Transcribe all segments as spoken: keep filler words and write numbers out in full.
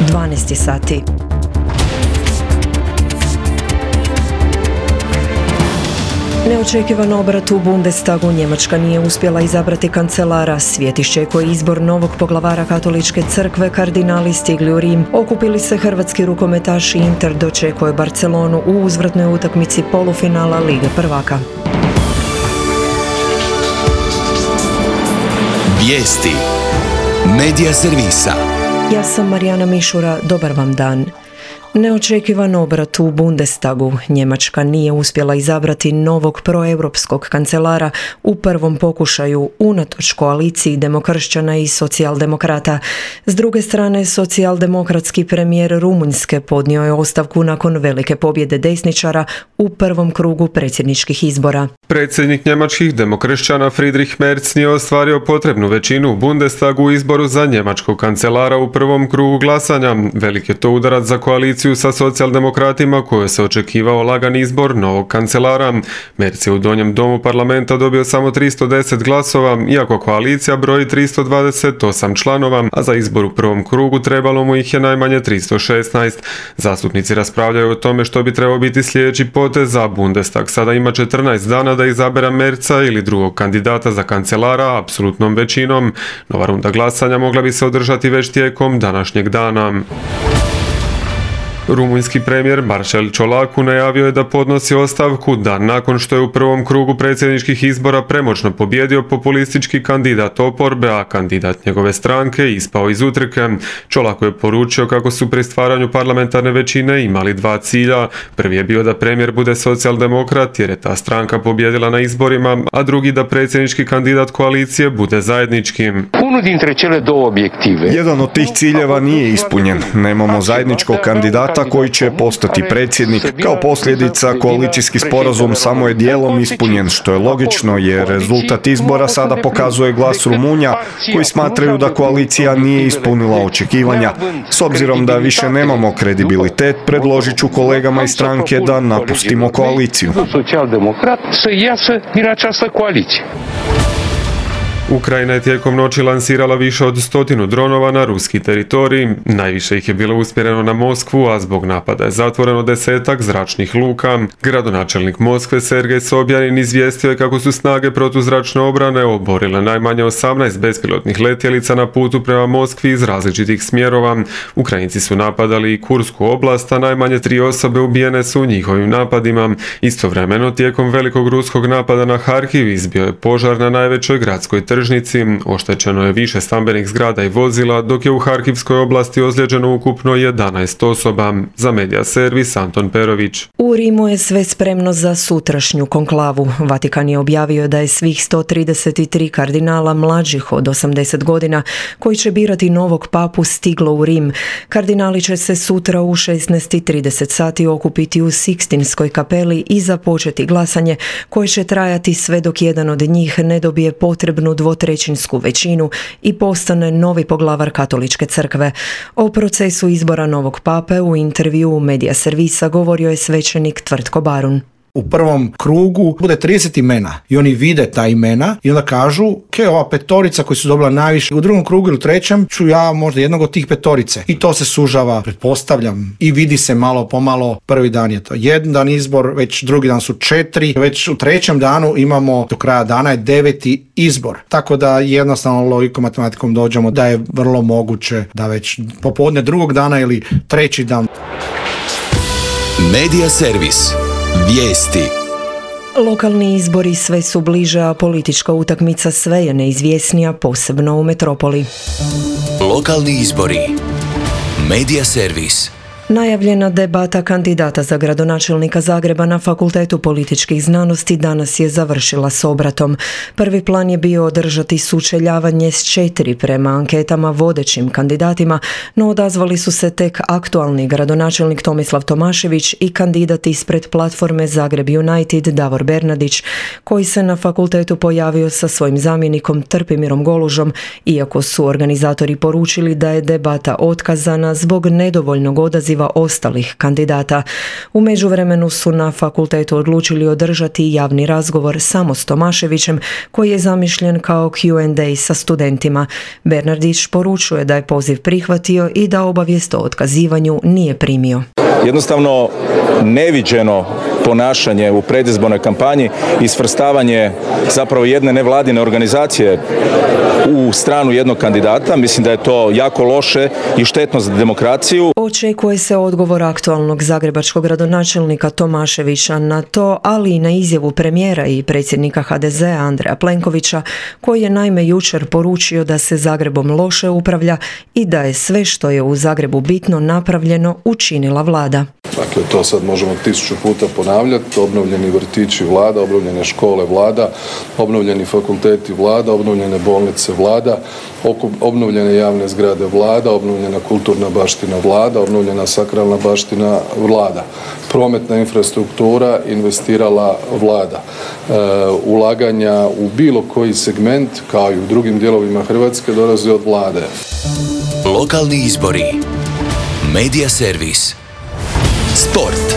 dvanaest sati. Neočekivan obrat u Bundestagu. Njemačka nije uspjela izabrati kancelara. Svijet iščekuje izbor novog poglavara katoličke crkve. Kardinali stigli u Rim. Okupili se hrvatski rukometaši. Inter dočekuje Barcelonu u uzvratnoj utakmici polufinala Lige prvaka. Vijesti Medija servisa. Ja sam Marijana Mišura. Dobar vam dan. Neočekivan obrat u Bundestagu. Njemačka nije uspjela izabrati novog proeuropskog kancelara u prvom pokušaju unatoč koaliciji demokršćana i socijaldemokrata. S druge strane, socijaldemokratski premijer Rumunjske podnio je ostavku nakon velike pobjede desničara u prvom krugu predsjedničkih izbora. Predsjednik njemačkih demokršćana Friedrich Merz nije ostvario potrebnu većinu u Bundestagu u izboru za njemačkog kancelara u prvom krugu glasanja. Velik je to udarac za koaliciju sa socijaldemokratima koje se očekivao lagan izbor novog kancelara. Merz je u donjem domu parlamenta dobio samo tristo deset glasova, iako koalicija broji tristo dvadeset osam članova, a za izbor u prvom krugu trebalo mu ih je najmanje tristo šesnaest. Zastupnici raspravljaju o tome što bi trebao biti sljedeći potez za Bundestag. Sada ima četrnaest dana da izabere Merza ili drugog kandidata za kancelara apsolutnom većinom. Nova runda glasanja mogla bi se održati već tijekom današnjeg dana. Rumunjski premijer Marcel Ciolacu najavio je da podnosi ostavku dan nakon što je u prvom krugu predsjedničkih izbora premoćno pobjedio populistički kandidat oporbe, a kandidat njegove stranke ispao iz utrke. Ciolacu je poručio kako su pri stvaranju parlamentarne većine imali dva cilja. Prvi je bio da premijer bude socijaldemokrat jer je ta stranka pobjedila na izborima, a drugi da predsjednički kandidat koalicije bude zajednički. Jedan od tih ciljeva nije ispunjen. Nemamo zajedničkog kandidata koji će postati predsjednik. Kao posljedica, koalicijski sporazum samo je dijelom ispunjen, što je logično jer rezultat izbora sada pokazuje glas Rumunja koji smatraju da koalicija nije ispunila očekivanja. S obzirom da više nemamo kredibilitet, predložit ću kolegama iz stranke da napustimo koaliciju. Ukrajina je tijekom noći lansirala više od stotinu dronova na ruski teritorij. Najviše ih je bilo usmjereno na Moskvu, a zbog napada je zatvoreno desetak zračnih luka. Gradonačelnik Moskve Sergej Sobjanin izvijestio je kako su snage protuzračne obrane oborile najmanje osamnaest bespilotnih letjelica na putu prema Moskvi iz različitih smjerova. Ukrajinci su napadali i Kursku oblast, a najmanje tri osobe ubijene su u njihovim napadima. Istovremeno, tijekom velikog ruskog napada na Harkiv izbio je požar na najvećoj gradskoj tržnici. Oštećeno je više stambenih zgrada i vozila, dok je u Harkivskoj oblasti ozlijeđeno ukupno jedanaest osoba. Za Medija servis Anton Perović. U Rimu je sve spremno za sutrašnju konklavu. Vatikan je objavio da je svih sto trideset tri kardinala mlađih od osamdeset godina koji će birati novog papu stiglo u Rim. Kardinali će se sutra u šesnaest i trideset sati okupiti u Sikstinskoj kapeli i započeti glasanje koje će trajati sve dok jedan od njih ne dobije potrebnu dvotrećinsku većinu i postane novi poglavar katoličke crkve. O procesu izbora novog pape u intervjuu Medija servisa govorio je svećenik Tvrtko Barun. U prvom krugu bude trideset imena i oni vide ta imena i onda kažu ke ova petorica koji su dobila najviše. U drugom krugu ili trećem ću ja možda jednog od tih petorice. I to se sužava, pretpostavljam, i vidi se malo pomalo. Prvi dan je to jedan dan izbor, već drugi dan su četiri, već u trećem danu imamo do kraja dana je deveti izbor. Tako da jednostavno logikom matematikom dođemo da je vrlo moguće da već popodne drugog dana ili treći dan. Medija servis. Vijesti. Lokalni izbori sve su bliže, a politička utakmica sve je neizvjesnija, posebno u metropoli. Lokalni izbori. Medija servis. Najavljena debata kandidata za gradonačelnika Zagreba na Fakultetu političkih znanosti danas je završila s obratom. Prvi plan je bio održati sučeljavanje s četiri prema anketama vodećim kandidatima, no odazvali su se tek aktualni gradonačelnik Tomislav Tomašević i kandidat ispred platforme Zagreb United Davor Bernardić, koji se na fakultetu pojavio sa svojim zamjenikom Trpimirom Golužom, iako su organizatori poručili da je debata otkazana zbog nedovoljnog odaziva poziva ostalih kandidata. U međuvremenu su na fakultetu odlučili održati javni razgovor samo s Tomaševićem, koji je zamišljen kao Q and A sa studentima. Bernardić poručuje da je poziv prihvatio i da obavijest o otkazivanju nije primio. Jednostavno neviđeno ponašanje u predizbornoj kampanji i svrstavanje zapravo jedne nevladine organizacije u stranu jednog kandidata. Mislim da je to jako loše i štetno za demokraciju. Očekuje se odgovor aktualnog zagrebačkog gradonačelnika Tomaševića na to, ali i na izjavu premijera i predsjednika H D Z-a Andreja Plenkovića, koji je naime jučer poručio da se Zagrebom loše upravlja i da je sve što je u Zagrebu bitno napravljeno učinila vlada. Dakle, to sad možemo tisuću puta ponavljati. Obnovljeni vrtići vlada, obnovljene škole vlada, obnovljeni fakulteti vlada, obnovljene bolnice vlada, obnovljene javne zgrade vlada, obnovljena kulturna baština vlada, obnovljena sakralna baština vlada. Prometna infrastruktura investirala vlada. E, ulaganja u bilo koji segment, kao i u drugim dijelovima Hrvatske, dolaze od vlade. Lokalni izbori. Medija servis. Sport.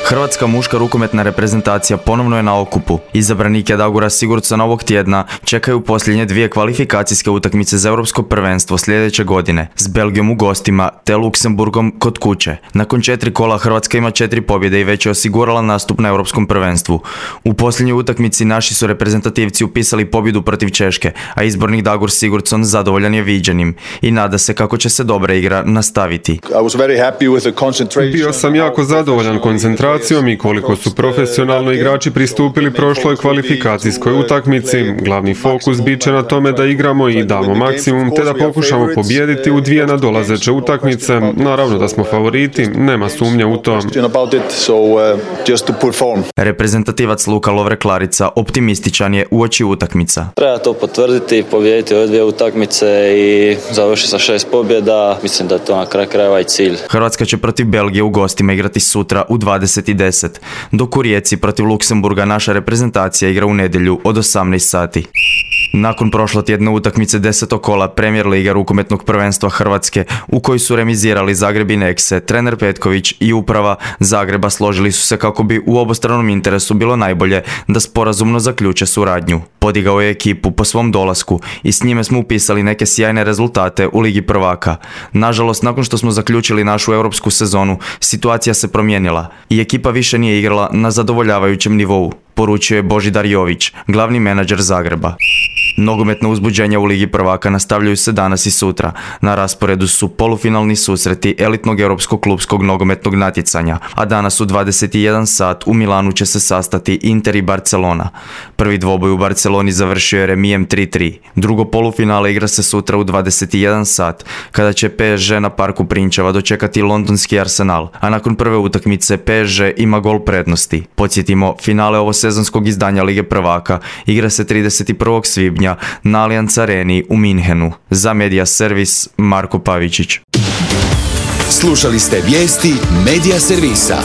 Hrvatska muška rukometna reprezentacija ponovno je na okupu. Izabranike Dagora Sigurdsona ovog tjedna čekaju posljednje dvije kvalifikacijske utakmice za europsko prvenstvo sljedeće godine s Belgijom u gostima te Luksemburgom kod kuće. Nakon četiri kola Hrvatska ima četiri pobjede i već je osigurala nastup na europskom prvenstvu. U posljednjoj utakmici naši su reprezentativci upisali pobjedu protiv Češke, a izbornik Dagur Sigurdsson zadovoljan je viđenim i nada se kako će se dobra igra nastaviti. Bio sam jako zadovoljan koncentracijom i koliko su profesionalno igrači pristupili prošloj kvalifikacijskoj utakmici. Glavni fokus bit će na tome da igramo i damo maksimum, te da pokušamo pobijediti u dvije nadolazeće utakmice. Naravno da smo favoriti, nema sumnje u to. Reprezentativac Luka Lovre Klarica optimističan je uoči utakmica. Treba to potvrditi, pobijediti ove dvije utakmice i završiti sa šest pobjeda. Mislim da je to na kraju krajeva i cilj. Hrvatska će protiv Belgije u gostima igrati sutra u dvadeset i deset, dok u Rijeci protiv Luksemburga naša reprezentacija igra u nedjelju od osamnaest sati. Nakon prošlotjedne utakmice desetog kola Premier Liga rukometnog prvenstva Hrvatske, u kojoj su remizirali Zagreb i Nexe, trener Petković i uprava Zagreba složili su se kako bi u obostranom interesu bilo najbolje da sporazumno zaključe suradnju. Podigao je ekipu po svom dolasku i s njime smo upisali neke sjajne rezultate u Ligi prvaka. Nažalost, nakon što smo zaključili našu europsku sezonu, situacija se promijenila i ekipa više nije igrala na zadovoljavajućem nivou, poručio je Božidar Jović, glavni menadžer Zagreba. Nogometna uzbuđenja u Ligi prvaka nastavljaju se danas i sutra. Na rasporedu su polufinalni susreti elitnog europskog klupskog nogometnog natjecanja, a danas u dvadeset i jedan sat u Milanu će se sastati Inter i Barcelona. Prvi dvoboj u Barceloni završio je remijem tri tri. Drugo polufinale igra se sutra u dvadeset i jedan sat, kada će P S G na Parku Prinčeva dočekati londonski Arsenal, a nakon prve utakmice P S G ima gol prednosti. Podsjetimo, finale ovosezonskog izdanja Lige prvaka igra se trideset prvog svibnja na Allianz Areni u Minhenu. Za Medija servis Marko Pavičić. Slušali ste vijesti Medija servisa.